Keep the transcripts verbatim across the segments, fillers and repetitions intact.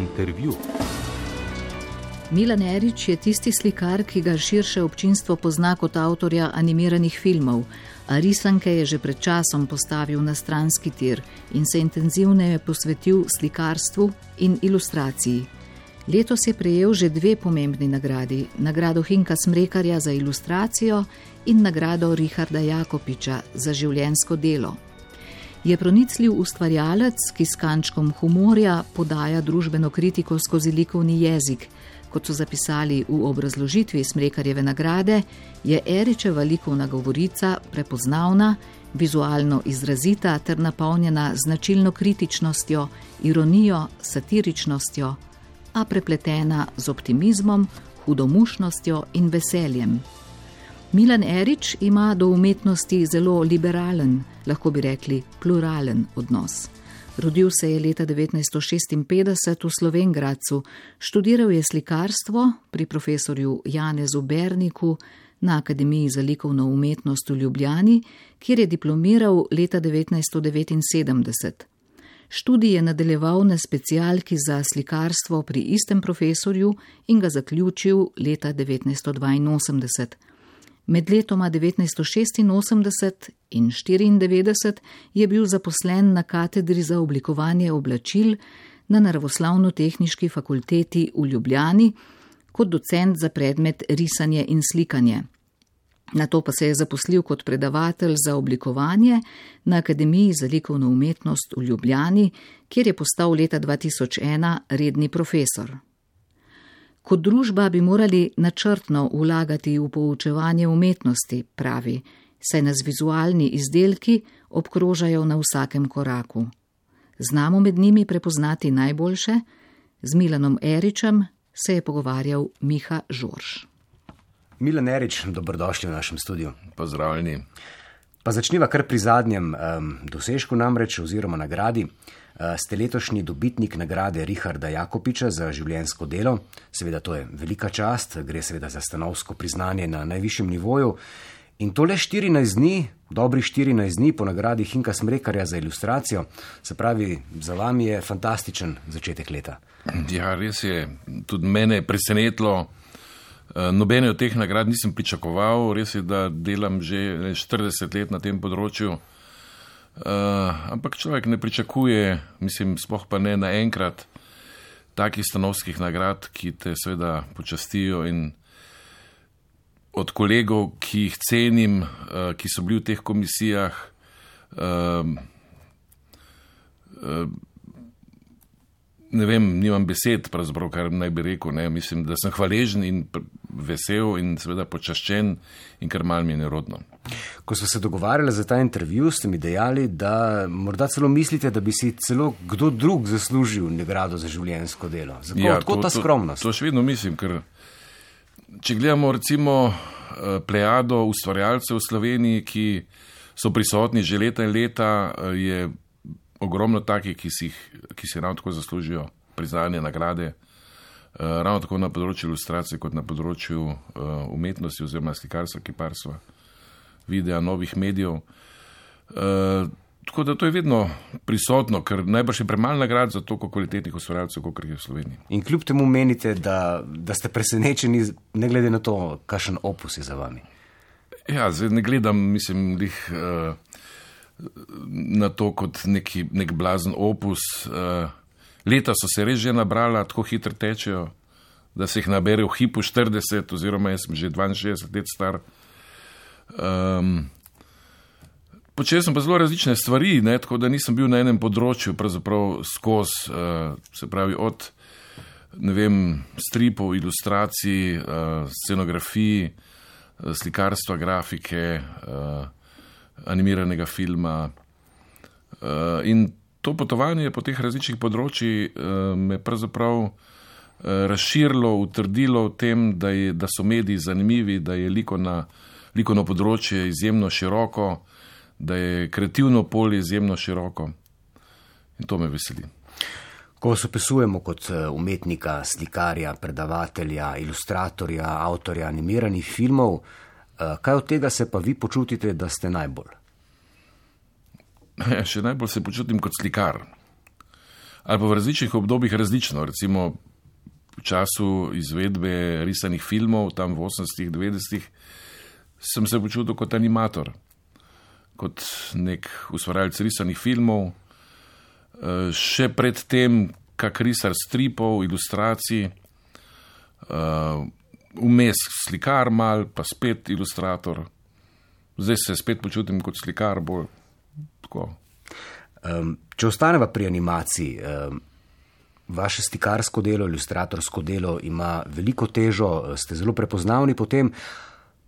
Intervju. Milan Erič je tisti slikar, ki ga širše občinstvo pozna kot avtorja animiranih filmov, a risanke je že pred časom postavil na stranski tir in se intenzivneje posvetil slikarstvu in ilustraciji. Letos je prejel že dve pomembni nagradi, nagrado Hinka Smrekarja za ilustracijo in nagrado Richarda Jakopiča za življenjsko delo. Je pronicljiv ustvarjalec, ki s kančkom humorja podaja družbeno kritiko skozi likovni jezik. Kot so zapisali v obrazložitvi Smrekarjeve nagrade, je Eričeva likovna govorica prepoznavna, vizualno izrazita ter napolnjena značilno kritičnostjo, ironijo, satiričnostjo, a prepletena z optimizmom, hudomušnostjo in veseljem. Milan Erič ima do umetnosti zelo liberalen, lahko bi rekli pluralen odnos. Rodil se je leta devetnajststo šestinpetdeset v Slovenj Gradcu, študiral je slikarstvo pri profesorju Janezu Berniku na Akademiji za likovno umetnost v Ljubljani, kjer je diplomiral leta devetnajststo devetinsedemdeset. Študij je nadaljeval na specialki za slikarstvo pri istem profesorju in ga zaključil leta devetnajststo dvainosemdeset. Med letoma devetnajststo šestinosemdeset in štiriindevetdeset je bil zaposlen na katedri za oblikovanje oblačil na Naravoslovno-tehniški fakulteti v Ljubljani kot docent za predmet risanje in slikanje. Nato pa se je zaposlil kot predavatelj za oblikovanje na Akademiji za likovno umetnost v Ljubljani, kjer je postal leta dva tisoč ena redni profesor. Kot družba bi morali načrtno vlagati v poučevanje umetnosti, pravi, saj nas vizualni izdelki obkrožajo na vsakem koraku. Znamo med njimi prepoznati najboljše? Z Milanom Eričem se je pogovarjal Miha Žorž. Milan Erič, dobrodošli v našem studiu. Pozdravljeni. Pa začniva kar pri zadnjem um, dosežku namreč oziroma nagradi. Uh, ste letošnji dobitnik nagrade Richarda Jakopiča za življenjsko delo. Seveda to je velika čast, gre seveda za stanovsko priznanje na najvišjem nivoju. In to le štirinajst dni, dobrih štirinajst dni po nagradi Hinka Smrekarja za ilustracijo. Se pravi, za vami je fantastičen začetek leta. Ja, res je. Tudi mene je presenetilo. Nobene od teh nagrad nisem pričakoval, res je, da delam že štirideset let na tem področju, uh, ampak človek ne pričakuje, mislim, sploh pa ne naenkrat, takih stanovskih nagrad, ki te seveda počastijo in od kolegov, ki jih cenim, uh, ki so bili v teh komisijah, uh, uh, ne vem, nimam besed, pravzaprav, kar naj bi rekel, ne, mislim, da sem hvaležen in vesel in seveda počaščen in kar malo mi je nerodno. Ko smo se dogovarjali za ta intervju, ste mi dejali, da morda celo mislite, da bi si celo kdo drug zaslužil nagrado za življenjsko delo. Zakaj ja, odkot ta skromnost? To, to še vedno mislim, ker če gledamo recimo plejado ustvarjalcev v Sloveniji, ki so prisotni že leta in leta, je ogromno takih, ki si, ki si ravno tako zaslužijo priznanje, nagrade, ravno tako na področju ilustracije, kot na področju umetnosti oziroma slikarstva, kiparstva, videa, novih medijev. Tako da to je vedno prisotno, ker najbrž je premalo nagrad za toliko kvalitetnih ustvarjalcev, kot je v Sloveniji. In kljub temu menite, da, da ste presenečeni, ne glede na to, kakšen opus je za vami? Ja, zdaj ne gledam, mislim, lih uh, na to kot neki, nek blazen opus. Uh, leta so se res že nabrala, tako hitro tečejo, da se jih nabere v hipu štirideset, oziroma jaz sem že dvainšestdeset let star. Um, počel sem pa zelo različne stvari, ne, tako da nisem bil na enem področju pravzaprav skozi, uh, se pravi od, ne vem, stripov, ilustracij, uh, scenografij, uh, slikarstva, grafike, uh, animiranega filma. Uh, in to potovanje po teh različnih področjih uh, me pravzaprav uh, razširilo, utrdilo v tem, da, je, da so mediji zanimivi, da je likovna, likovno področje izjemno široko, da je kreativno polje izjemno široko. In to me veseli. Ko vas opisujemo kot umetnika, slikarja, predavatelja, ilustratorja, avtorja animiranih filmov, kaj od tega se pa vi počutite, da ste najbolj? Še najbolj se počutim kot slikar. ali pa v različnih obdobjih različno. Recimo v času izvedbe risanih filmov, tam v osemdesetih, devetdesetih, sem se počutil kot animator, kot nek ustvarjalec risanih filmov. Še pred tem, kak risar stripov, ilustracij, vmes slikar mal, pa spet ilustrator. Zdaj se spet počutim kot slikar, bolj tako. Um, če ostaneva pri animaciji, um, vaše slikarsko delo, ilustratorsko delo ima veliko težo, ste zelo prepoznavni potem,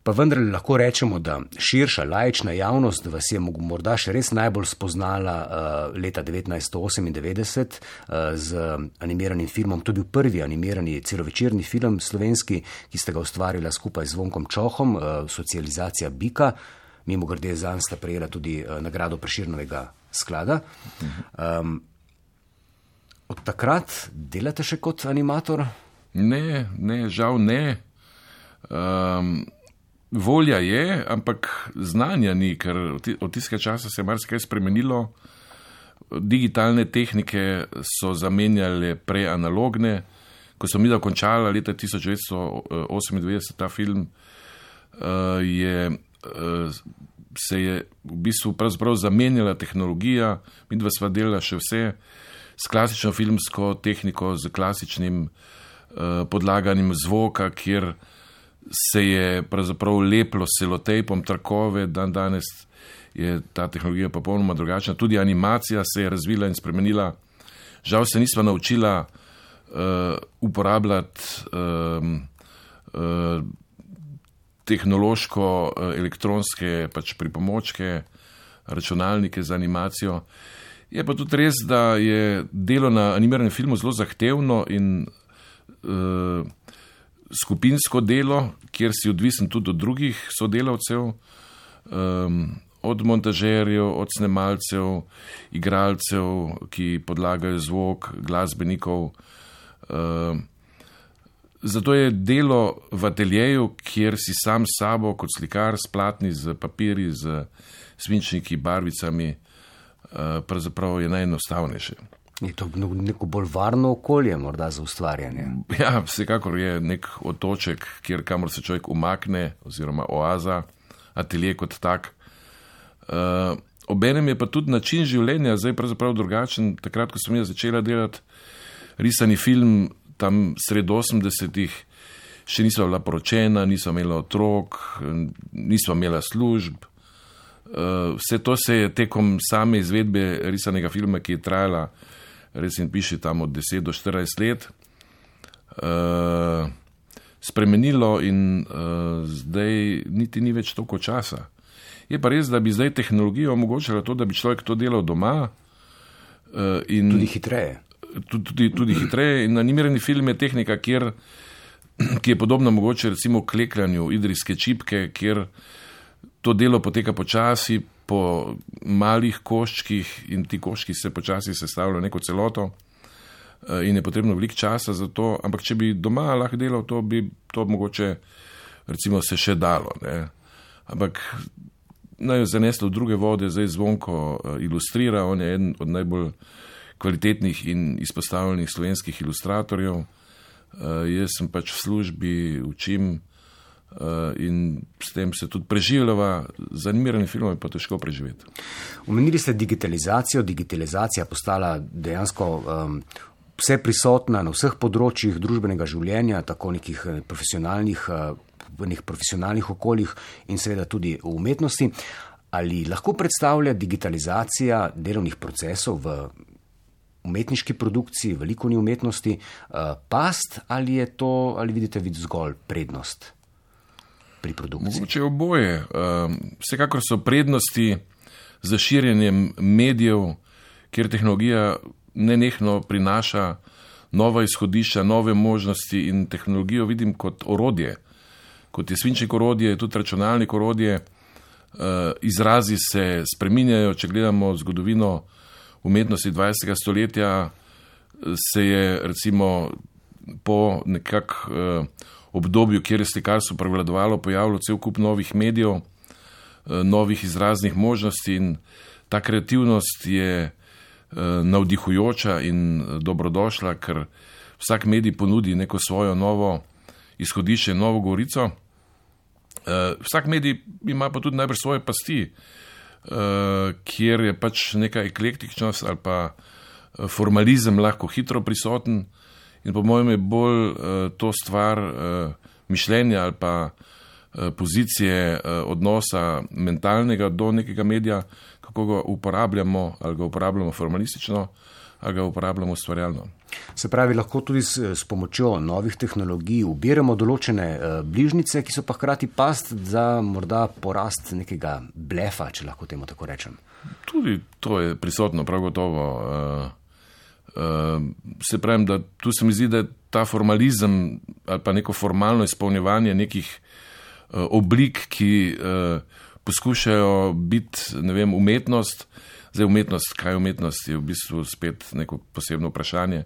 pa vendar lahko rečemo, da širša laična javnost vas je morda še res najbolj spoznala uh, leta devetnajststo osemindevetdeset uh, z animiranim filmom. To je bil prvi animirani celovečerni film slovenski, ki ste ga ustvarila skupaj z Zvonkom Čohom, uh, Socializacija bika. Mimogrede zanj sta prejela tudi uh, nagrado Prešernovega sklada. Um, od takrat delate še kot animator? Ne, ne, žal ne. Um, volja je, ampak znanja ni, ker od tistega časa se je marsikaj spremenilo. Digitalne tehnike so zamenjale prej analogne. Ko sem midal končala leta tisoč devetsto osemindevetdeset ta film, uh, je... Uh, se je v bistvu pravzaprav zamenjala tehnologija, midva sva delala še vse s klasično filmsko tehniko, z klasičnim uh, podlaganjem zvoka, kjer se je pravzaprav leplo s selotejpom trakove, dan danes je ta tehnologija popolnoma drugačna. Tudi animacija se je razvila in spremenila. Žal se nisva naučila uh, uporabljati um, uh, tehnološko elektronske pač pripomočke, računalnike za animacijo. Je pa tudi res, da je delo na animiranem filmu zelo zahtevno in uh, skupinsko delo, kjer si odvisen tudi od drugih sodelavcev, um, od montažerjev, od snemalcev, igralcev, ki podlagajo zvok, glasbenikov. Uh, Zato je delo v ateljeju, kjer si sam s sabo kot slikar s platni, z papirji, z svinčniki, barvicami, pravzaprav je najenostavnejše. Je to neko bolj varno okolje morda za ustvarjanje? Ja, vsekakor je nek otoček, kjer kamor se človek umakne, oziroma oaza, atelje kot tak. Obenem je pa tudi način življenja zdaj pravzaprav drugačen. Takrat, ko sem jaz začela delati risani film, tam sred osemdesetih, še nisva bila poročena, nisva imela otrok, nisva imela služb. Vse to se je tekom same izvedbe risanega filma, ki je trajala, res in piše tam od deset do štirinajst let, spremenilo in zdaj niti ni več toliko časa. Je pa res, da bi zdaj tehnologija omogočala to, da bi človek to delal doma. In tudi hitreje. Tudi, tudi hitreje. In animirani film je tehnika, kjer, ki je podobna mogoče recimo klekljanju idrijske čipke, kjer to delo poteka počasi, po malih koščkih in ti koščki se počasi sestavljajo neko celoto in je potrebno veliko časa za to, ampak če bi doma lahko delal, to bi to mogoče recimo se še dalo. Ne? Ampak naj jo zaneslo v druge vode, zdaj Zvonko ilustrira, on je eden od najbolj kvalitetnih in izpostavljenih slovenskih ilustratorjev. Uh, jaz sem pač v službi, učim uh, in s tem se tudi preživljava. Z animiranim filmom je pa težko preživeti. Omenili ste digitalizacijo. Digitalizacija postala dejansko um, vse prisotna na vseh področjih družbenega življenja, tako nekih profesionalnih, uh, v nekih profesionalnih okoljih in seveda tudi v umetnosti. Ali lahko predstavlja digitalizacija delovnih procesov v umetniški produkciji, v likovni umetnosti, past ali je to, ali vidite vid zgolj prednost pri produkciji? Mogoče oboje. Vsekakor so prednosti za širjenjem medijev, kjer tehnologija nenehno prinaša nova izhodišča, nove možnosti in tehnologijo vidim kot orodje. Kot je svinčnik orodje, tudi računalnik orodje. Izrazi se spreminjajo, če gledamo zgodovino umetnosti dvajsetega stoletja, se je recimo po nekak eh, obdobju, kjer je slikarstvo prevladovalo, pojavilo cel kup novih medijev, eh, novih izraznih možnosti in ta kreativnost je navdihujoča in dobrodošla, ker vsak medij ponudi neko svojo novo izhodišče, novo govorico. Vsak medij ima pa tudi najbrž svoje pasti, kjer je pač neka eklektičnost ali pa formalizem lahko hitro prisoten in po mojem je bolj to stvar mišljenja ali pa pozicije odnosa mentalnega do nekega medija, kako ga uporabljamo, ali ga uporabljamo formalistično, ali ga uporabljamo ustvarjalno. Se pravi, lahko tudi s, s pomočjo novih tehnologij ubiramo določene uh, bližnjice, ki so pa hkrati past za morda porast nekega blefa, če lahko temu tako rečem. Tudi to je prisotno, prav gotovo. Uh, uh, se pravim, da tu se mi zdi, da je ta formalizem ali pa neko formalno izpolnjevanje nekih uh, oblik, ki uh, poskušajo biti, ne vem, umetnost. Zdaj umetnost, kaj je umetnost, je v bistvu spet neko posebno vprašanje.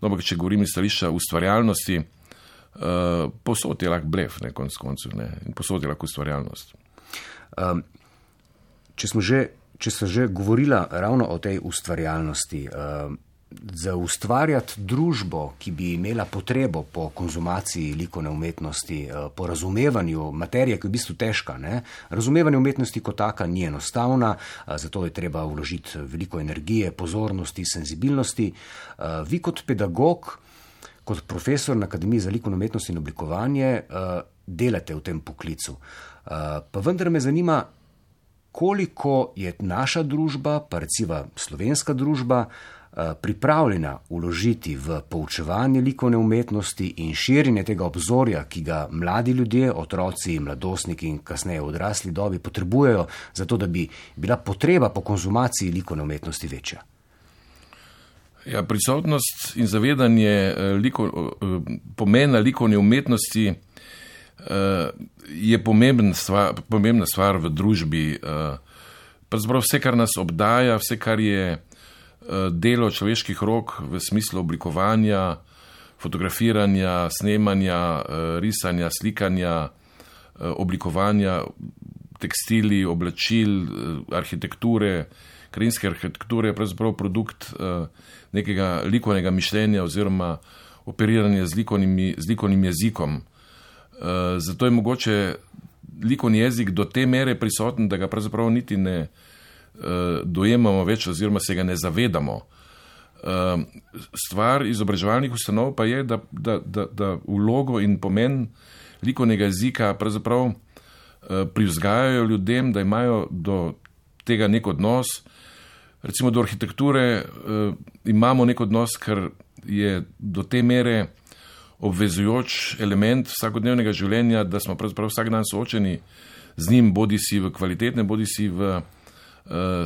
No, ampak če govorim iz stališča ustvarjalnosti, uh, posod je lahko blef, ne, konc koncev, ne, in posod je lahko ustvarjalnost. Um, če smo že, če so že govorila ravno o tej ustvarjalnosti, um, za ustvarjati družbo, ki bi imela potrebo po konzumaciji likovne umetnosti, po razumevanju materije, ki je v bistvu težka, ne? Razumevanje umetnosti kot taka ni enostavna, zato je treba vložiti veliko energije, pozornosti, senzibilnosti. Vi kot pedagog, kot profesor na Akademiji za likovno umetnost in oblikovanje delate v tem poklicu. Pa vendar me zanima, koliko je naša družba, pa recimo slovenska družba, pripravljena vložiti v poučevanje likovne umetnosti in širjenje tega obzorja, ki ga mladi ljudje, otroci, mladostniki in kasneje odrasli dobi potrebujejo, zato da bi bila potreba po konzumaciji likovne umetnosti večja. Ja, prisotnost in zavedanje liko, pomena likovne umetnosti je pomembna stvar, pomembna stvar v družbi. Pravzaprav vse, kar nas obdaja, vse, kar je delo človeških rok v smislu oblikovanja, fotografiranja, snemanja, risanja, slikanja, oblikovanja tekstili, oblačil, arhitekture, krajinske arhitekture, je pravzaprav produkt nekega likovnega mišljenja oziroma operiranja z likovnimi, z likovnim jezikom. Zato je mogoče likovni jezik do te mere prisoten, da ga pravzaprav niti ne dojemamo več oziroma se ga ne zavedamo. Stvar izobraževalnih ustanov pa je, da, da, da, da vlogo in pomen likovnega jezika pravzaprav privzgajajo ljudem, da imajo do tega nek odnos. Recimo do arhitekture imamo nek odnos, ker je do te mere obvezujoč element vsakodnevnega življenja, da smo pravzaprav vsak dan soočeni z njim, bodi si v kvalitetnem, bodi si v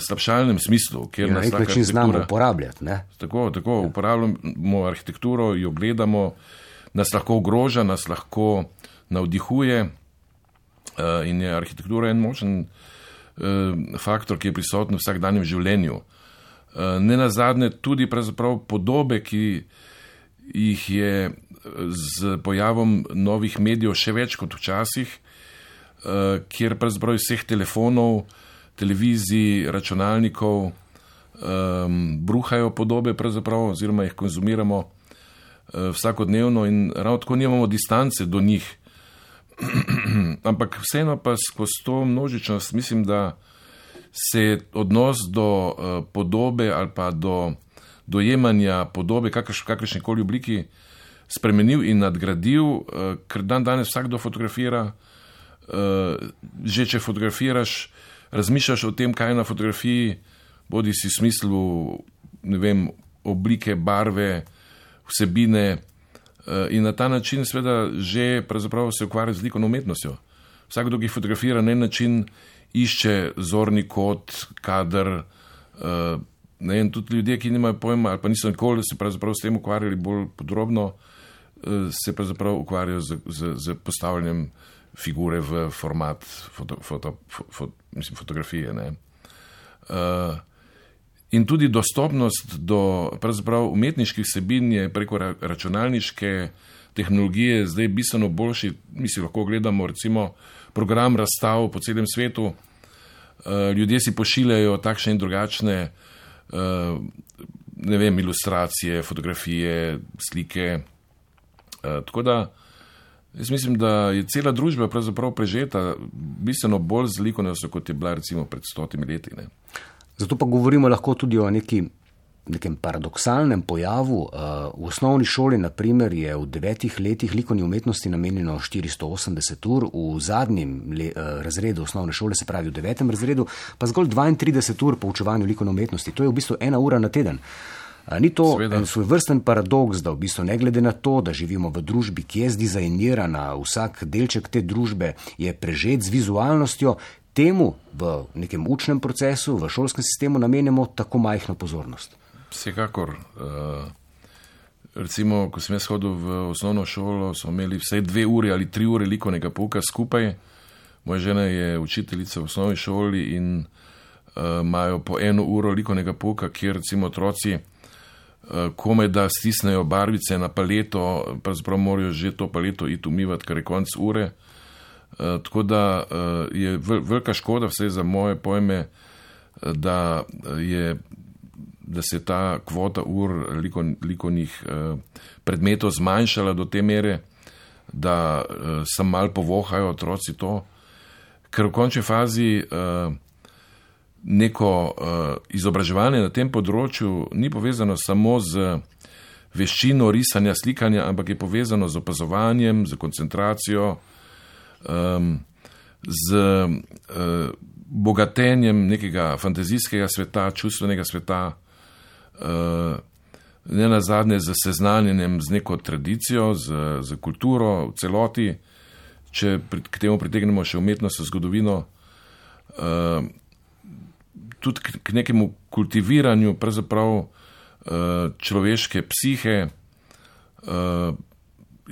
slabšalnem smislu, kjer na nek način znamo uporabljati. Ne? Tako, tako ja. Uporabljamo arhitekturo, jo gledamo, nas lahko ogroža, nas lahko navdihuje in je arhitektura en močen faktor, ki je prisoten v vsakdanjem življenju. Ne nazadnje tudi pravzaprav podobe, ki jih je z pojavom novih medijev še več kot včasih, kjer pravzaprav iz vseh telefonov, televizij, računalnikov um, bruhajo podobe pravzaprav oziroma jih konzumiramo uh, vsakodnevno in ravno tako nimamo distance do njih. Ampak vseeno pa skozi to množičnost mislim, da se odnos do uh, podobe ali pa do dojemanja podobe kakrš, kakršnekoli obliki spremenil in nadgradil, uh, ker dan danes vsakdo fotografira, uh, že če fotografiraš, razmišljaš o tem, kaj je na fotografiji, bodi si v smislu, ne vem, oblike, barve, vsebine in na ta način seveda že pravzaprav se ukvarja z likovno umetnostjo. Vsakdo, ki fotografira na en način, išče zorni kot, kader, ne vem, tudi ljudje, ki nimajo pojma ali pa niso nikoli se pravzaprav s tem ukvarjali bolj podrobno, se pravzaprav ukvarjajo z, z, z postavljanjem figure v format foto, foto, foto, mislim, fotografije. Ne? Uh, in tudi dostopnost do pravzaprav umetniških vsebin je preko računalniške tehnologije zdaj bistveno boljši. Mi si lahko gledamo recimo program razstav po celem svetu. Uh, ljudje si pošiljajo takšne in drugačne ne vem, ilustracije, fotografije, slike. Tako da jaz mislim, da je cela družba pravzaprav prežeta bistveno bolj z likovnostjo, kot je bila recimo pred stotimi leti. Ne. Zato pa govorimo lahko tudi o neki, nekem paradoksalnem pojavu. V osnovni šoli, na primer, je v devetih letih likovni umetnosti namenjeno štiristo osemdeset ur, v zadnjem le, razredu osnovne šole, se pravi v devetem razredu, pa zgolj dvaintrideset ur poučevanju likovne umetnosti. To je v bistvu ena ura na teden. Ni to Sveda. En svoj vrsten paradoks, da v bistvu ne glede na to, da živimo v družbi, ki je zdizajnirana, vsak delček te družbe je prežet z vizualnostjo, temu v nekem učnem procesu, v šolskem sistemu namenjamo tako majhno pozornost. Vsekakor. Recimo, ko sem jaz hodil v osnovno šolo, smo imeli vsaj dve uri ali tri ure likovnega pouka skupaj. Moja žena je učiteljica v osnovni šoli in imajo po eno uro likovnega pouka, kjer recimo otroci komaj da stisnejo barvice na paleto, pravzaprav morajo že to paleto iti umivati, kar je konc ure. Tako da je velika škoda, vse za moje pojme, da je da se ta kvota ur likovnih predmetov zmanjšala do te mere, da sem malo povohajo otroci to, ker v končni fazi neko izobraževanje na tem področju ni povezano samo z veščino risanja, slikanja, ampak je povezano z opazovanjem, z koncentracijo, z bogatenjem nekega fantazijskega sveta, čustvenega sveta, ne nazadnje z seznanjenjem z neko tradicijo, z, z kulturo v celoti, če k temu pritegnemo še umetnost, zgodovino, tudi k, k nekemu kultiviranju pravzaprav človeške psihe,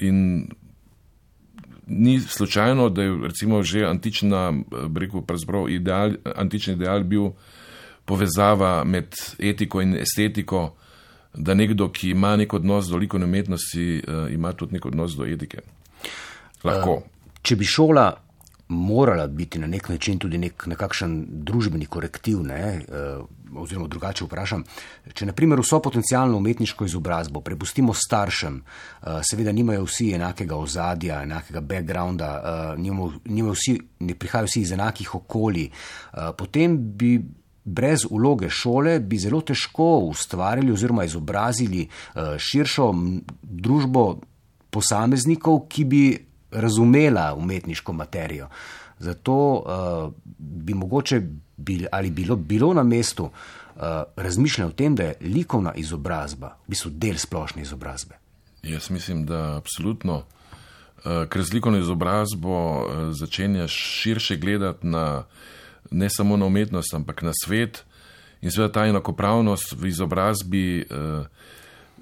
in ni slučajno, da je recimo že antična, rekel, pravzaprav ideal, antični ideal bil povezava med etiko in estetiko, da nekdo, ki ima nek odnos do likovne umetnosti, ima tudi nek odnos do etike. Lahko. Če bi šola morala biti na nek način tudi nek, nekakšen družbeni korektiv, ne, oziroma drugače vprašam, če na primer vso potencialno umetniško izobrazbo prepustimo staršem, seveda nimajo vsi enakega ozadja, enakega backgrounda, nimajo, nimajo vsi, ne prihajajo vsi iz enakih okolij, potem bi brez vloge šole bi zelo težko ustvarili oziroma izobrazili širšo družbo posameznikov, ki bi razumela umetniško materijo. Zato uh, bi mogoče bil, ali bilo, bilo na mestu uh, razmišljanje o tem, da je likovna izobrazba v bistvu del splošne izobrazbe. Jaz mislim, da absolutno, uh, ker z likovno izobrazbo uh, začenjaš širše gledati na ne samo na umetnost, ampak na svet, in seveda ta enakopravnost v izobrazbi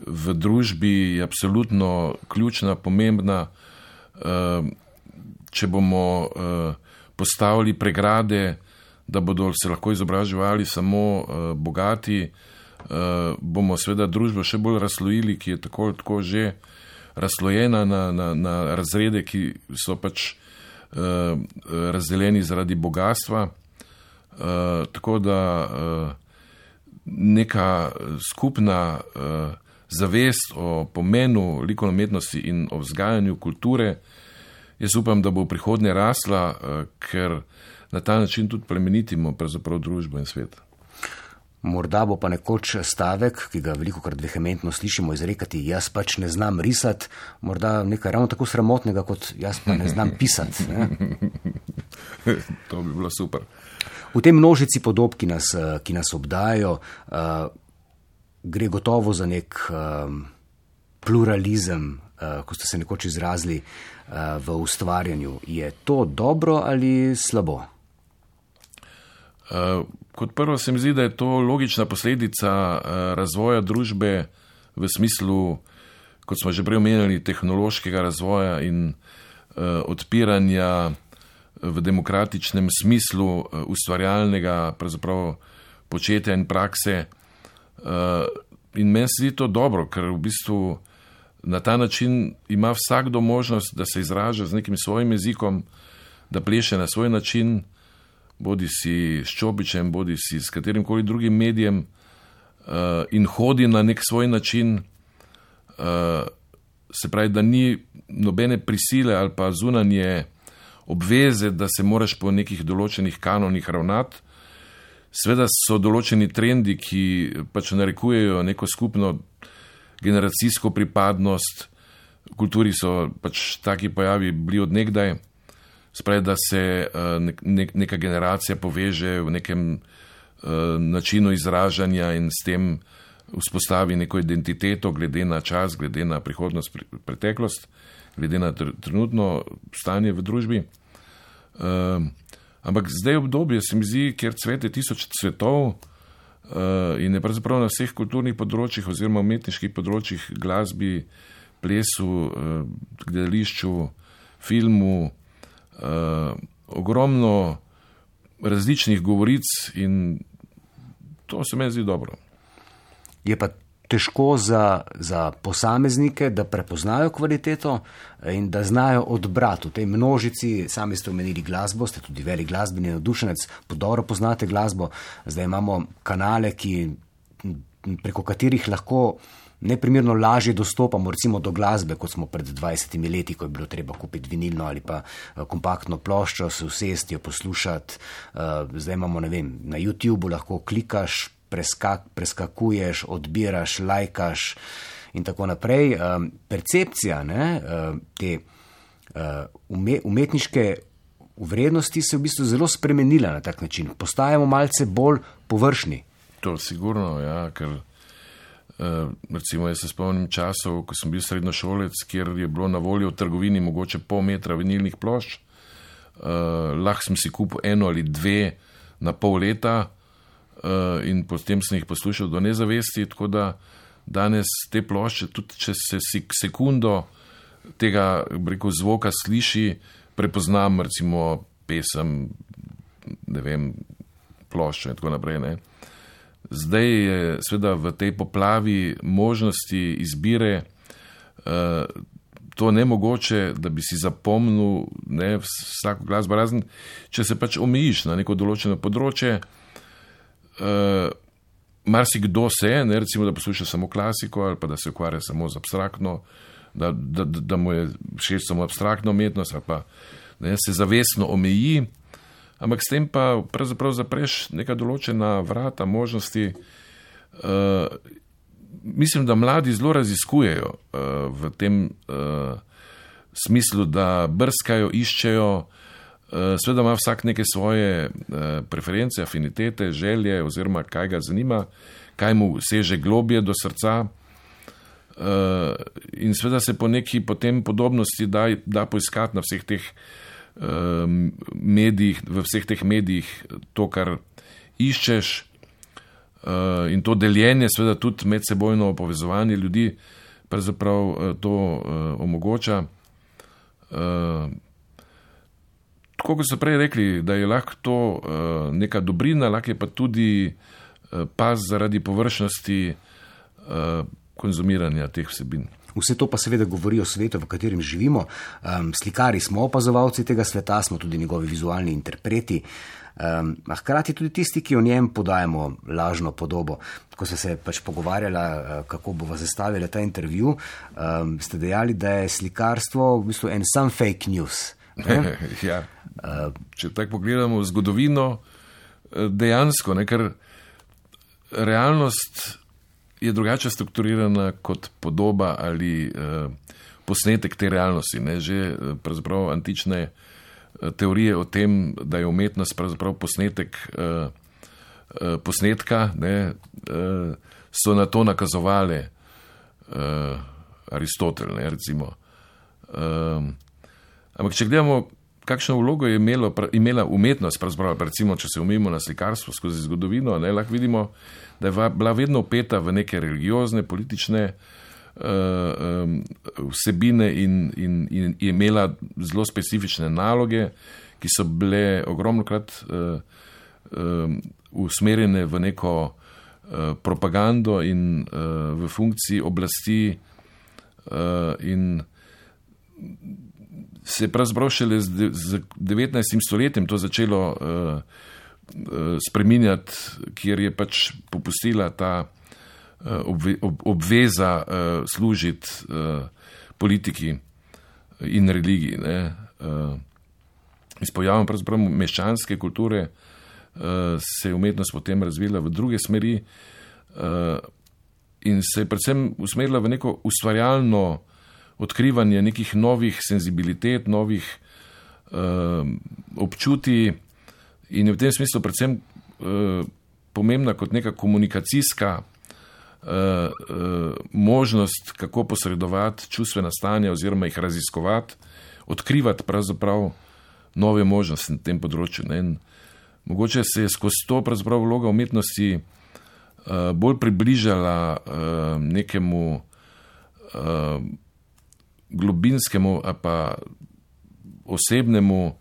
v družbi je absolutno ključna, pomembna. Če bomo postavili pregrade, da bodo se lahko izobraževali samo bogati, bomo seveda družbo še bolj razslojili, ki je tako, tako že razslojena na, na, na razrede, ki so pač razdeljeni zaradi bogatstva. Uh, tako da uh, neka skupna uh, zavest o pomenu likovne umetnosti in o vzgajanju kulture, jaz upam, da bo v prihodnje rasla, uh, ker na ta način tudi plemenitimo pravzaprav družbo in svet. Morda bo pa nekoč stavek, ki ga velikokrat vehementno slišimo izrekati, jaz pač ne znam risati, morda nekaj ravno tako sramotnega, kot jaz pa ne znam pisati. Ne? To bi bilo super. V tej množici podob, ki nas, ki nas obdajajo, uh, gre gotovo za nek uh, pluralizem, uh, ko ste se nekoč izrazili uh, v ustvarjanju. Je to dobro ali slabo? Uh, kot prvo se mi zdi, da je to logična posledica uh, razvoja družbe v smislu, kot smo že prej omenjali, tehnološkega razvoja in uh, odpiranja v demokratičnem smislu ustvarjalnega pravzaprav početja in prakse. In meni se zdi to dobro, ker v bistvu na ta način ima vsakdo možnost, da se izraža z nekim svojim jezikom, da pleše na svoj način, bodi si s čopičem, bodi si s katerim koli drugim medijem, in hodi na nek svoj način, se pravi, da ni nobene prisile ali pa zunanje obveze, da se moraš po nekih določenih kanonih ravnati. Sveda so določeni trendi, ki pač narekujejo neko skupno generacijsko pripadnost. V kulturi so pač taki pojavi bili od nekdaj. Spravi, da se nek, nek, neka generacija poveže v nekem uh, načinu izražanja in s tem vzpostavi neko identiteto glede na čas, glede na prihodnost, preteklost, glede na tr- trenutno stanje v družbi. Uh, ampak zdaj obdobje se mi zdi, kjer cvete tisoč cvetov uh, in je pravzaprav na vseh kulturnih področjih oziroma umetniških področjih, glasbi, plesu, uh, gledališču, filmu, uh, ogromno različnih govoric in to se meni zdi dobro. Je pa težko za, za posameznike, da prepoznajo kvaliteto in da znajo odbrati v tej množici. Sami ste omenili glasbo, ste tudi velik glasbeni navdušenec, dobro poznate glasbo. Zdaj imamo kanale, ki, preko katerih lahko neprimerno lažje dostopamo recimo do glasbe, kot smo pred dvajsetimi leti, ko je bilo treba kupiti vinilno ali pa kompaktno ploščo, se usesti, jo poslušati. Zdaj imamo, ne vem, na YouTubeu lahko klikaš, Preskak, preskakuješ, odbiraš, lajkaš in tako naprej. Um, percepcija ne, um, te uh, ume, umetniške vrednosti se je v bistvu zelo spremenila na tak način. Postajamo malce bolj površni. To sigurno, ja, ker uh, recimo jaz se spomnim časov, ko sem bil srednjošolec, kjer je bilo na voljo v trgovini mogoče pol metra vinilnih plošč. Uh, lahko sem si kupil eno ali dve na pol leta, Uh, in potem sem jih poslušal do nezavesti, tako da danes te plošče, tudi če se sekundo tega rekel, zvoka sliši, prepoznam recimo pesem, ne vem, ploščo in tako naprej. Ne. Zdaj je seveda v tej poplavi možnosti izbire uh, to nemogoče, da bi si zapomnil ne, vsako glasbo, razen če se pač omejiš na neko določeno področje. Uh, marsikdo se, ne, recimo, da posluša samo klasiko ali pa da se ukvarja samo z abstraktno, da, da, da mu je všeč samo abstraktna umetnost ali pa ne, se zavestno omeji, ampak s tem pa pravzaprav zapreš neka določena vrata, možnosti. Uh, mislim, da mladi zelo raziskujejo uh, v tem uh, smislu, da brskajo, iščejo. Sveda ima vsak neke svoje preference, afinitete, želje oziroma kaj ga zanima, kaj mu seže globje do srca in sveda se po neki potem podobnosti da, da poiskati na vseh teh medijih, v vseh teh medijih to, kar iščeš in to deljenje, sveda tudi medsebojno povezovanje ljudi pravzaprav to omogoča. Tako kot so prej rekli, da je lahko to uh, neka dobrina, lahko je pa tudi uh, pas zaradi površnosti uh, konzumiranja teh vsebin. Vse to pa seveda govori o svetu, v katerem živimo. Um, slikari smo opazovalci tega sveta, smo tudi njegovi vizualni interpreti, um, a hkrati tudi tisti, ki o njem podajamo lažno podobo. Ko ste se pač pogovarjala, kako bova zastavila ta intervju, um, ste dejali, da je slikarstvo v bistvu en sam fake news. Ja. Če tako pogledamo v zgodovino, dejansko, ne, ker realnost je drugače strukturirana kot podoba ali eh, posnetek te realnosti. Ne. Že pravzaprav antične teorije o tem, da je umetnost pravzaprav posnetek eh, eh, posnetka, ne, eh, so na to nakazovali eh, Aristotel, ne, recimo. Eh, Ampak, če gledamo, kakšno vlogo je imelo, imela umetnost, recimo, če se umimo na slikarstvo skozi zgodovino, ne, lahko vidimo, da je bila vedno upeta v neke religiozne, politične uh, um, vsebine in, in, in je imela zelo specifične naloge, ki so bile ogromnokrat uh, um, usmerjene v neko uh, propagando in uh, v funkciji oblasti uh, in se je pravzaprav šele z devetnajstim stoletjem to začelo uh, uh, spreminjati, kjer je pač popustila ta obve, ob, obveza služiti politiki in religiji. Ne. S pojavom pravzaprav meščanske kulture se je umetnost potem razvila v druge smeri in se je predvsem usmerila v neko ustvarjalno odkrivanje nekih novih senzibilitet, novih občutij in je v tem smislu predvsem pomembna kot neka komunikacijska možnost, kako posredovati čustvena stanja oziroma jih raziskovati, odkrivati pravzaprav nove možnosti na tem področju. Ne. In mogoče se je skozi to pravzaprav vloga umetnosti uh, bolj približala uh, nekemu uh, globinskemu ali pa osebnemu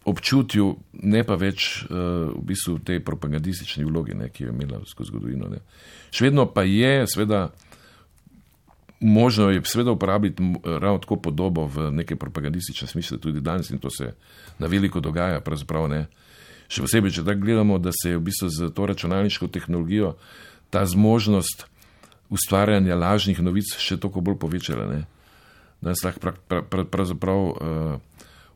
občutju, ne pa več uh, v bistvu tej propagandistični vlogi, ne, ki jo je imela skozi zgodovino. Ne. Še vedno pa je, seveda, možno je seveda uporabiti ravno tako podobo v neke propagandistične smisle tudi danes in to se na veliko dogaja, pravzaprav ne. Še posebej, če tako gledamo, da se je v bistvu z to računalniško tehnologijo ta zmožnost ustvarjanja lažnih novic še toliko bolj povečala. Ne. Danes lahko pra, pra, pra, pravzaprav uh,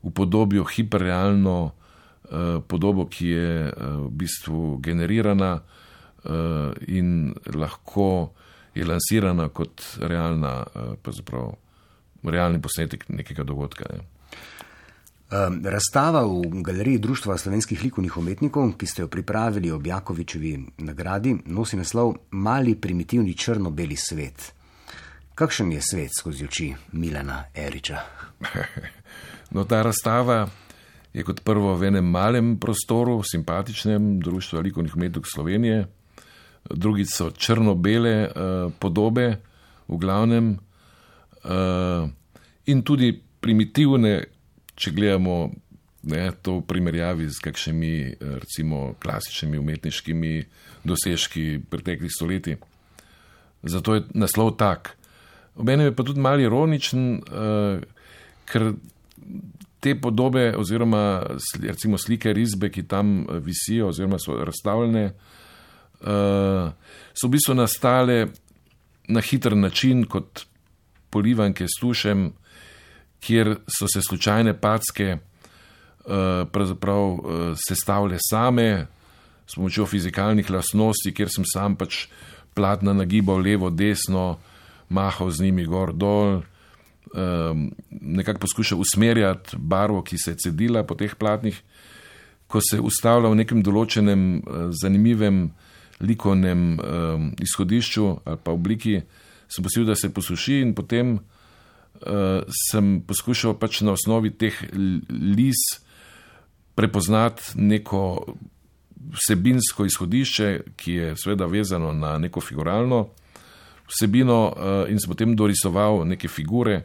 upodobijo hiperrealno uh, podobo, ki je uh, v bistvu generirana uh, in lahko je lansirana kot realna, pravzaprav realni posnetek nekega dogodka. Ne. Razstava v galeriji Društva slovenskih likovnih umetnikov, ki ste jo pripravili ob Jakovičevi nagradi, nosi naslov Mali primitivni črno-beli svet. Kakšen je svet skozi oči Milana Eriča? No, ta razstava je kot prvo v enem malem prostoru, simpatičnem, Društva likovnih umetnikov Slovenije. Drugi so črno-bele uh, podobe, v glavnem, uh, in tudi primitivne, če gledamo ne, to v primerjavi z kakšnimi, recimo, klasičnimi umetniškimi dosežki preteklih stoletij. Zato je naslov tak. Obenem je pa tudi malo ironičen, uh, ker te podobe oziroma recimo slike, risbe, ki tam visijo oziroma so razstavljene, Uh, so v bistvu nastale na hiter način kot polivanke s tušem, kjer so se slučajne packe uh, pravzaprav uh, sestavile same s pomočjo fizikalnih lastnosti, kjer sem sam pač platna nagibal levo, desno, mahal z njimi gor, dol, um, nekako poskušal usmerjati barvo, ki se je cedila po teh platnih, ko se ustavlja v nekem določenem uh, zanimivem likovnem um, izhodišču ali pa obliki, sem posil, da se posuši in potem uh, sem poskušal pač na osnovi teh lis prepoznati neko vsebinsko izhodišče, ki je seveda vezano na neko figuralno vsebino uh, in sem potem dorisoval neke figure,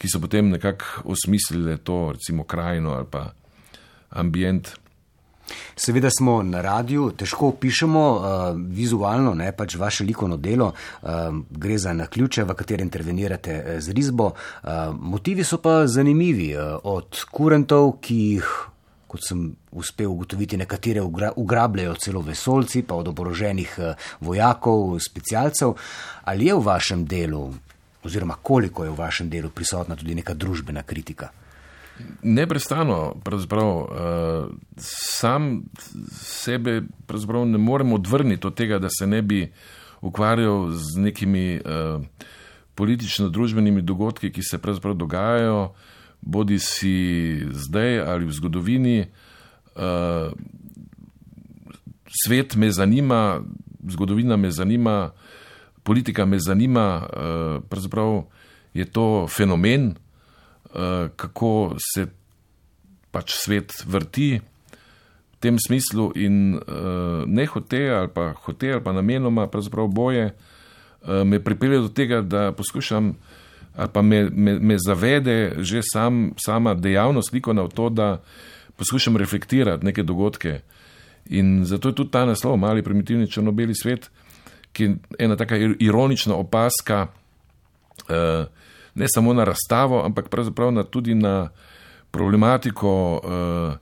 ki so potem nekako osmislile to, recimo krajino ali pa ambient. Seveda smo na radiju, težko opišemo uh, vizualno, ne, pač vaše likovno delo, uh, gre za naključje, v katerem intervenirate z risbo. Uh, motivi so pa zanimivi, uh, od kurentov, ki jih, kot sem uspel ugotoviti, nekatere ugra, ugrabljajo celo vesoljci, pa od oboroženih uh, vojakov, specialcev. Ali je v vašem delu, oziroma koliko je v vašem delu prisotna tudi neka družbena kritika? Neprestano, pravzaprav, uh, sam sebe pravzaprav ne morem odvrniti od tega, da se ne bi ukvarjal z nekimi uh, politično-družbenimi dogodki, ki se pravzaprav dogajajo, bodi si zdaj ali v zgodovini. Uh, svet me zanima, zgodovina me zanima, politika me zanima, uh, pravzaprav je to fenomen, kako se pač svet vrti v tem smislu in ne hote ali pa hote ali pa namenoma pravzaprav boje me pripelje do tega, da poskušam ali pa me, me, me zavede že sam, sama dejavnost likovna v to, da poskušam reflektirati neke dogodke. In zato je tudi ta naslov Mali primitivni črno-beli svet, ki je ena taka ironična opaska uh, ne samo na razstavo, ampak pravzaprav na, tudi na problematiko uh,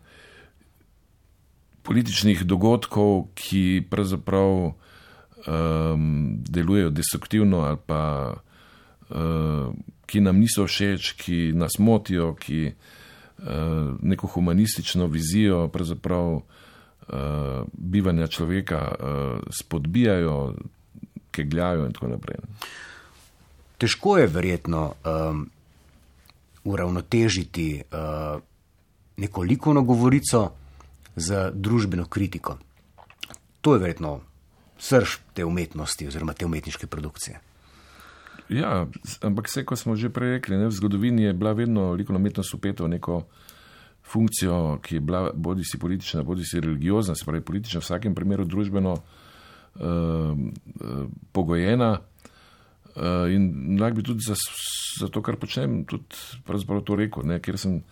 političnih dogodkov, ki pravzaprav uh, um, delujejo destruktivno ali pa uh, ki nam niso všeč, ki nas motijo, ki uh, neko humanistično vizijo pravzaprav uh, bivanja človeka uh, spodbijajo, kegljajo in tako naprej. Težko je verjetno um, uravnotežiti uh, neko likovno govorico z družbeno kritiko. To je verjetno srž te umetnosti oziroma te umetniške produkcije. Ja, ampak vse, ko smo že prej rekli, ne, v zgodovini je bila vedno likovna umetnost upeta v neko funkcijo, ki je bila bodi si politična, bodi si religiozna, se pravi politična, v vsakem primeru družbeno uh, uh, pogojena. Uh, in lahko bi tudi za, za to, kar počnem, tudi pravzaprav to rekel, ne, ker sem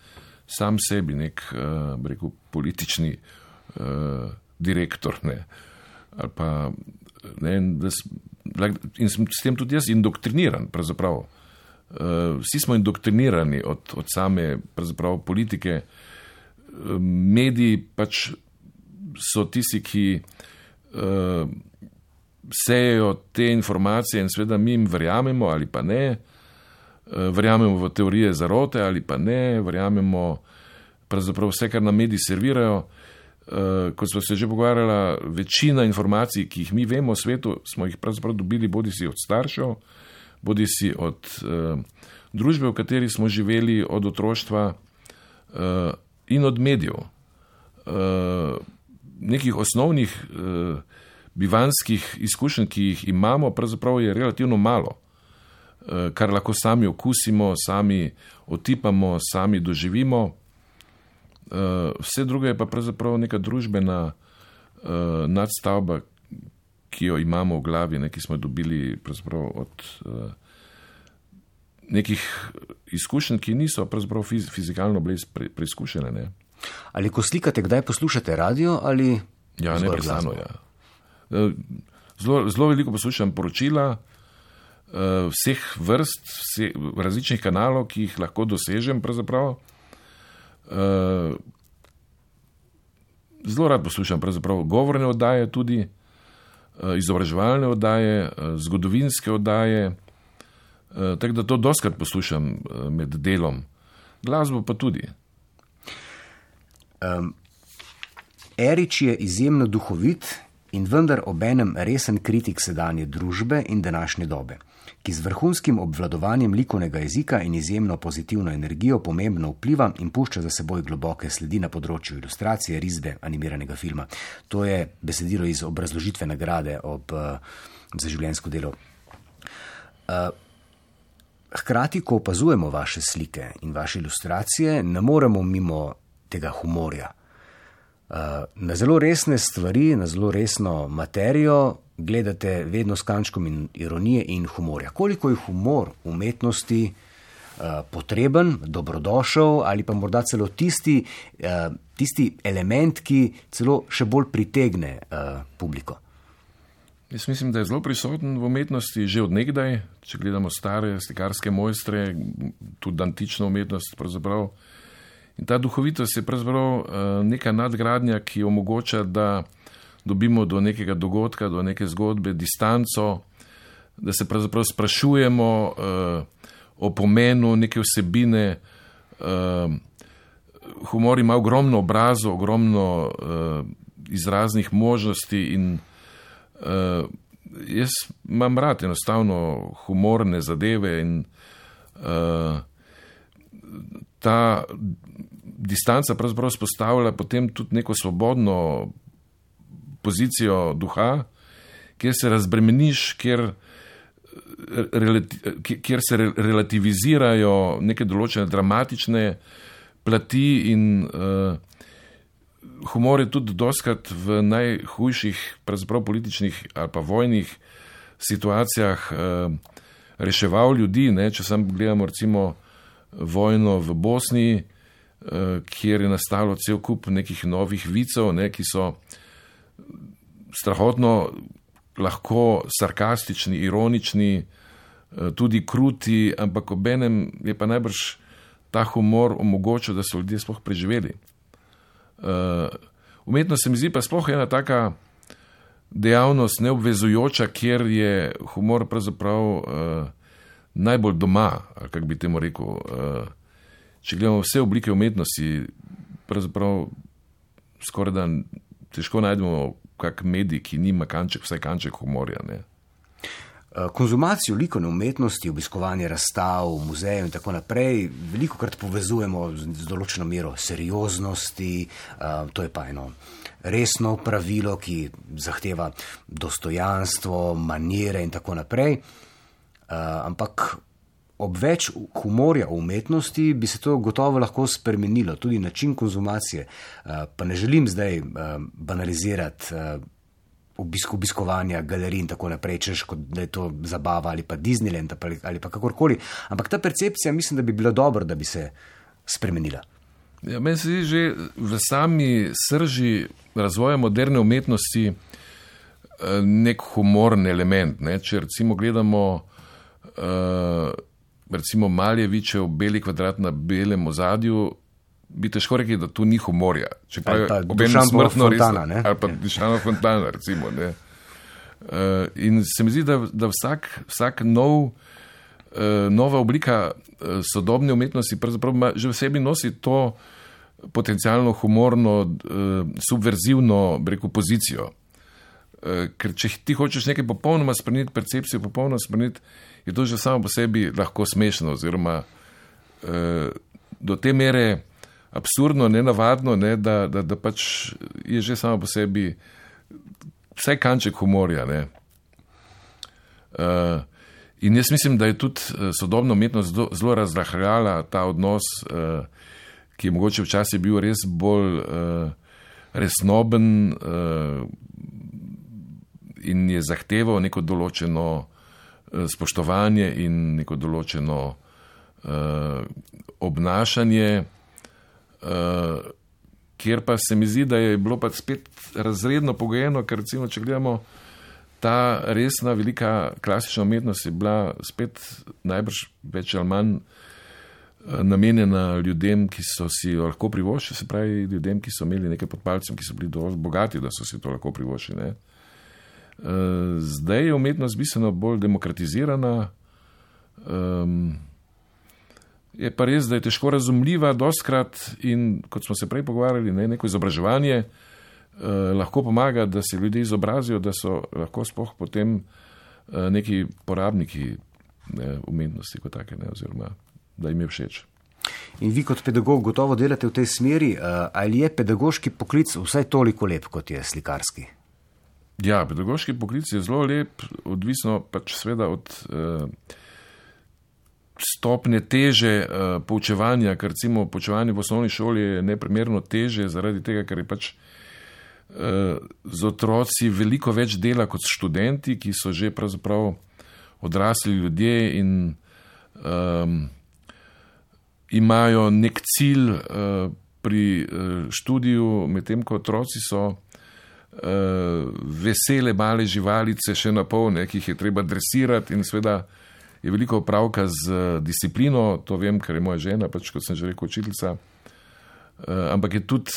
sam sebi nek, uh, bi rekel, politični uh, direktor, ne, ali pa, ne, da in sem s tem tudi jaz indoktriniran, pravzaprav. Uh, vsi smo indoktrinirani od, od same, pravzaprav, politike. Uh, mediji pač so tisti, ki uh, sejejo te informacije in seveda mi jim verjamemo ali pa ne. Uh, verjamemo v teorije zarote ali pa ne. Verjamemo pravzaprav vse, kar nam mediji servirajo. Uh, kot smo se že pogovarjala, večina informacij, ki jih mi vemo o svetu, smo jih pravzaprav dobili bodi si od staršev, bodi si od uh, družbe, v kateri smo živeli od otroštva uh, in od medijev. Uh, nekih osnovnih uh, bivanskih izkušenj, ki jih imamo, pravzaprav je relativno malo, uh, kar lahko sami okusimo, sami otipamo, sami doživimo. Uh, vse druge je pa pravzaprav neka družbena uh, nadstavba, ki jo imamo v glavi, ne, ki smo jo dobili pravzaprav od uh, nekih izkušenj, ki niso pravzaprav fiz, fizikalno bile pre, preizkušene. Ne. Ali ko slikate, kdaj poslušate radio ali ja, neprestano, ja. Uh, zelo, zelo veliko poslušam poročila uh, vseh vrst, vse, različnih kanalov, ki jih lahko dosežem pravzaprav. Uh, zelo rad poslušam pravzaprav govorne oddaje tudi, uh, izobraževalne oddaje, uh, zgodovinske oddaje, uh, tako da to dostikrat poslušam uh, med delom. Glasbo pa tudi. Um, Erič je izjemno duhovit in vendar obenem resen kritik sedanje družbe in današnje dobe, ki z vrhunskim obvladovanjem likovnega jezika in izjemno pozitivno energijo pomembno vpliva in pušča za seboj globoke sledi na področju ilustracije, risbe, animiranega filma. To je besedilo iz obrazložitve nagrade ob, uh, za življenjsko delo. Uh, hkrati, ko opazujemo vaše slike in vaše ilustracije, ne moremo mimo tega humorja. Uh, na zelo resne stvari, na zelo resno materijo gledate vedno s kančkom in ironije in humorja. Koliko je humor v umetnosti uh, potreben, dobrodošel ali pa morda celo tisti, uh, tisti element, ki celo še bolj pritegne uh, publiko? Jaz mislim, da je zelo prisoten v umetnosti že od nekdaj, če gledamo stare slikarske mojstre, tudi antično umetnost pravzaprav. In ta duhovitost je pravzaprav neka nadgradnja, ki omogoča, da dobimo do nekega dogodka, do neke zgodbe distanco, da se pravzaprav sprašujemo uh, o pomenu neke vsebine. Uh, humor ima ogromno obrazov, ogromno uh, izraznih možnosti in uh, jaz imam rad enostavno humorne zadeve in uh, ta distanca pravzaprav spostavlja potem tudi neko svobodno pozicijo duha, kjer se razbremeniš, kjer, kjer se relativizirajo neke določene dramatične plati in uh, humor je tudi dostikrat v najhujših pravzaprav političnih ali pa vojnih situacijah uh, reševal ljudi, ne, če sam gledamo recimo vojno v Bosni, kjer je nastalo cel kup nekih novih vicev, ne, ki so strahotno lahko sarkastični, ironični, tudi kruti, ampak obenem je pa najbrž ta humor omogočil, da so ljudje sploh preživeli. Umetnost se mi zdi pa sploh ena taka dejavnost neobvezujoča, kjer je humor pravzaprav uh, najbolj doma, ali kako bi temu rekel. Uh, če gledamo vse oblike umetnosti, pravzaprav skoraj da težko najdemo kak medij, ki nima kanček, vsaj kanček humorja, ne. Konzumacijo likovne umetnosti, obiskovanje razstav, muzejev in tako naprej veliko krat povezujemo z, z določeno mero serioznosti, uh, to je pa eno resno pravilo, ki zahteva dostojanstvo, manire in tako naprej. Uh, ampak ob več humorja v umetnosti bi se to gotovo lahko spremenilo, tudi način konzumacije. Uh, pa ne želim zdaj uh, banalizirati uh, obisk, obiskovanja galerij in tako naprej, češ kot da je to zabava ali pa Disneyland ali, ali pa kakorkoli. Ampak ta percepcija mislim, da bi bilo dobro, da bi se spremenila. Ja, meni se zdi že v sami srži razvoja moderne umetnosti nek humorni element. Ne? Če recimo gledamo uh, recimo Maljevičev Beli kvadrat na belem ozadju, bi težko rekli, da tu ni humorja. Čeprav je obenem smrtno Fontana, resno. Ali pa Dušanova Fontana, recimo. Ne? Uh, in se mi zdi, da, da vsak, vsak nov, uh, nova oblika uh, sodobne umetnosti pravzaprav že v sebi nosi to potencialno humorno, uh, subverzivno, bi rekel, pozicijo. Uh, ker če ti hočeš nekaj popolnoma spremeniti, percepcijo popolnoma spremeniti, je to že samo po sebi lahko smešno, oziroma uh, do te mere absurdno, nenavadno, ne, da, da, da pač je že samo po sebi vsaj kanček humorja. Ne. Uh, in jaz mislim, da je tudi sodobna umetnost zelo, zelo razrahljala ta odnos, uh, ki je mogoče včasih bil res bolj uh, resnoben uh, in je zahteval neko določeno uh, spoštovanje in neko določeno uh, obnašanje, Uh, kjer pa se mi zdi, da je bilo pa spet razredno pogojeno, ker recimo, če gledamo, ta resna, velika klasična umetnost je bila spet najbrž več ali manj uh, namenjena ljudem, ki so si jo lahko privoščili, se pravi ljudem, ki so imeli nekaj pod palcem, ki so bili dovolj bogati, da so si to lahko privoščili. Uh, zdaj je umetnost bistveno bolj demokratizirana, um, je pa res, da je težko razumljiva dostkrat in, kot smo se prej pogovarjali, ne, neko izobraževanje eh, lahko pomaga, da se ljudje izobrazijo, da so lahko sploh potem eh, neki porabniki ne, umetnosti kot take, ne, oziroma da jim je všeč. In vi kot pedagog gotovo delate v tej smeri, eh, ali je pedagoški poklic vsaj toliko lep, kot je slikarski? Ja, pedagoški poklic je zelo lep, odvisno pač seveda od eh, stopnje teže uh, poučevanja, ker recimo poučevanje v osnovni šoli je neprimerno teže zaradi tega, ker je pač uh, z otroci veliko več dela kot študenti, ki so že pravzaprav odrasli ljudje in um, imajo nek cilj uh, pri uh, študiju, medtem ko otroci so uh, vesele male živalice še napol, ne, ki jih je treba dresirati in seveda je veliko opravka z disciplino, to vem, ker je moja žena, pač kot sem že rekel, učiteljica, uh, ampak je tudi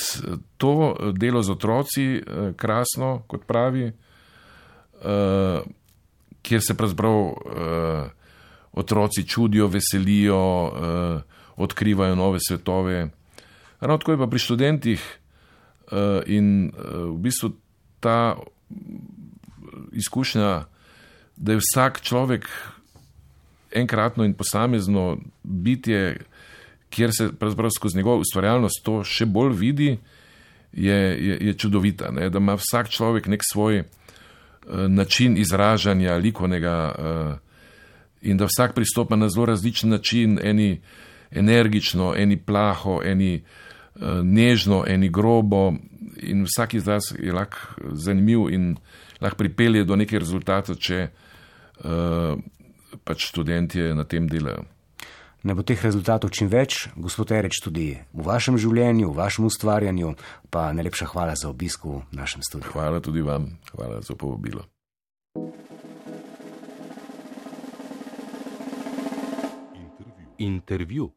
to delo z otroci uh, krasno, kot pravi, uh, kjer se pravzaprav uh, otroci čudijo, veselijo, uh, odkrivajo nove svetove. Ravno tako je pa pri študentih uh, in uh, v bistvu ta izkušnja, da je vsak človek enkratno in posamezno bitje, kjer se pravzaprav skozi njegovo ustvarjalnost to še bolj vidi, je, je, je čudovita. Ne? Da ima vsak človek nek svoj uh, način izražanja likovnega uh, in da vsak pristopa na zelo različen način, eni energično, eni plaho, eni uh, nežno, eni grobo in vsak izraz je lahko zanimiv in lahko pripelje do nekih rezultatov, če uh, pač študentje na tem delajo. Ne bo teh rezultatov čim več, gospod Erič, tudi v vašem življenju, v vašem ustvarjanju, pa najlepša hvala za obisk v našem studiu. Hvala tudi vam, hvala za povabilo. Intervju.